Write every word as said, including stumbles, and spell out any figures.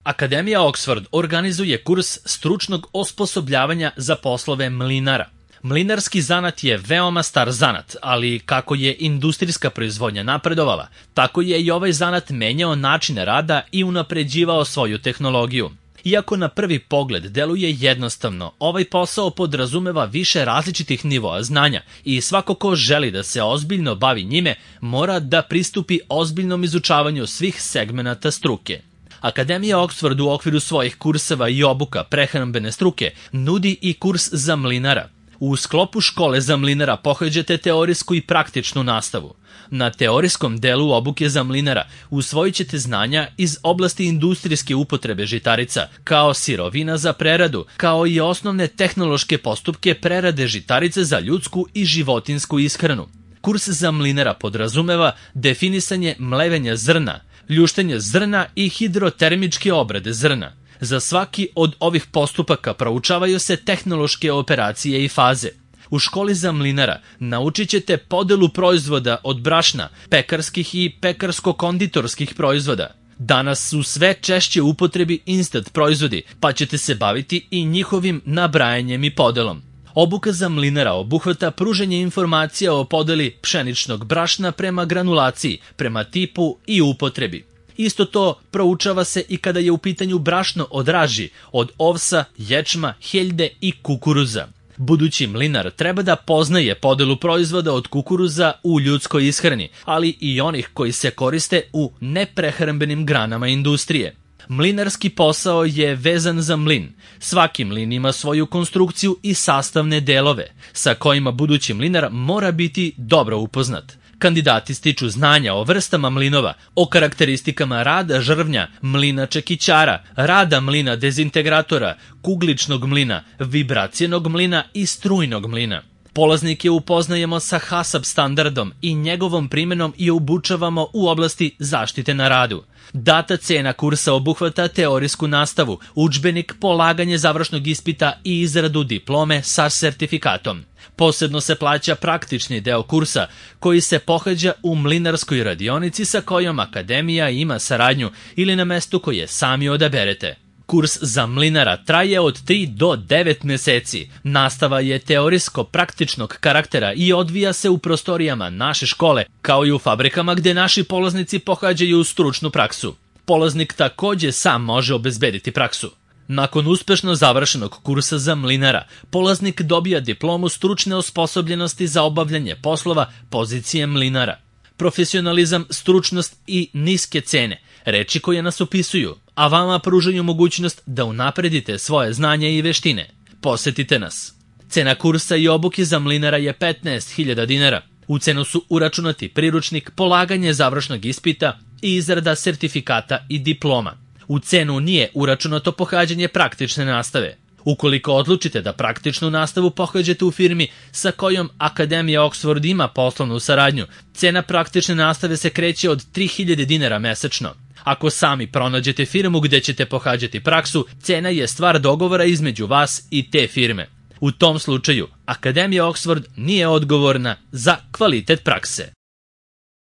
Akademija Oxford organizuje kurs stručnog osposobljavanja za poslove mlinara. Mlinarski zanat je veoma star zanat, ali kako je industrijska proizvodnja napredovala, tako je i ovaj zanat menjao načine rada i unapređivao svoju tehnologiju. Iako na prvi pogled deluje jednostavno, ovaj posao podrazumeva više različitih nivoa znanja i svako ko želi da se ozbiljno bavi njime mora da pristupi ozbiljnom izučavanju svih segmenata struke. Akademija Oxford u okviru svojih kurseva i obuka prehrambene struke nudi i kurs za mlinara. U sklopu škole za mlinara pohađate teorijsku i praktičnu nastavu. Na teorijskom delu obuke za mlinara usvojit ćete znanja iz oblasti industrijske upotrebe žitarica, kao sirovina za preradu, kao i osnovne tehnološke postupke prerade žitarice za ljudsku i životinsku ishranu. Kurs za mlinara podrazumeva definisanje mlevenja zrna, ljuštenje zrna i hidrotermičke obrade zrna. Za svaki od ovih postupaka proučavaju se tehnološke operacije i faze. U školi za mlinara naučit ćete podelu proizvoda od brašna, pekarskih i pekarsko-konditorskih proizvoda. Danas su sve češće u upotrebi instant proizvodi, pa ćete se baviti i njihovim nabrajanjem i podelom. Obuka za mlinara obuhvata pružanje informacija o podeli pšeničnog brašna prema granulaciji, prema tipu i upotrebi. Isto to proučava se i kada je u pitanju brašno od raži, od ovsa, ječma, heljde i kukuruza. Budući mlinar treba da poznaje podelu proizvoda od kukuruza u ljudskoj ishrani, ali i onih koji se koriste u neprehrambenim granama industrije. Mlinarski posao je vezan za mlin. Svaki mlin ima svoju konstrukciju i sastavne delove, sa kojima budući mlinar mora biti dobro upoznat. Kandidati stiču znanja o vrstama mlinova, o karakteristikama rada žrvnja, mlina čekićara, rada mlina dezintegratora, kugličnog mlina, vibracijenog mlina i strujnog mlina. Polaznike upoznajemo sa HACCP standardom i njegovom primjenom i obučavamo u oblasti zaštite na radu. Data cena kursa obuhvata teorijsku nastavu, udžbenik, polaganje završnog ispita i izradu diplome sa sertifikatom. Posebno se plaća praktični deo kursa koji se pohađa u mlinarskoj radionici sa kojom akademija ima saradnju ili na mestu koje sami odaberete. Kurs za mlinara traje od tri do devet meseci. Nastava je teorijsko-praktičnog karaktera i odvija se u prostorijama naše škole, kao i u fabrikama gde naši polaznici pohađaju stručnu praksu. Polaznik takođe sam može obezbediti praksu. Nakon uspešno završenog kursa za mlinara, polaznik dobija diplomu stručne osposobljenosti za obavljanje poslova pozicije mlinara. Profesionalizam, stručnost i niske cene, reči koje nas opisuju, a vama pružaju mogućnost da unapredite svoje znanje i veštine. Posetite nas. Cena kursa i obuke za mlinara je petnaest hiljada dinara. U cenu su uračunati priručnik, polaganje završnog ispita i izrada sertifikata i diploma. U cenu nije uračunato pohađanje praktične nastave. Ukoliko odlučite da praktičnu nastavu pohađate u firmi sa kojom Akademija Oxford ima poslovnu saradnju, cena praktične nastave se kreće od tri hiljade dinara mesečno. Ako sami pronađete firmu gde ćete pohađati praksu, cena je stvar dogovora između vas i te firme. U tom slučaju, Akademija Oxford nije odgovorna za kvalitet prakse.